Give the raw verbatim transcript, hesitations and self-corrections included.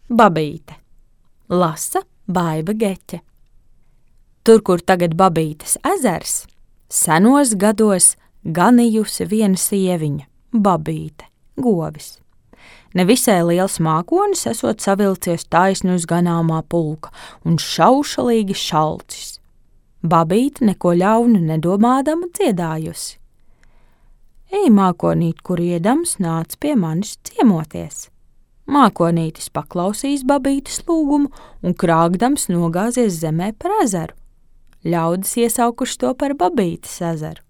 Babīte. Lasa Baiba Geķe. Tur, kur tagad Babītes ezers, senos gados ganījusi viena sieviņa, Babīte, govis. Nevisai liels mākonis esot savilcies taisni uz ganāmā pulka un šaušalīgi šalcis. Babīte neko ļaunu nedomādama dziedājusi. Ej, mākonīt, kur iedams, nāc pie manis ciemoties. Mākonītis paklausīs Babītes lūgumu un krāgdams nogāzies zemē par ezeru. Ļaudis iesaukuši to par Babītes ezeru.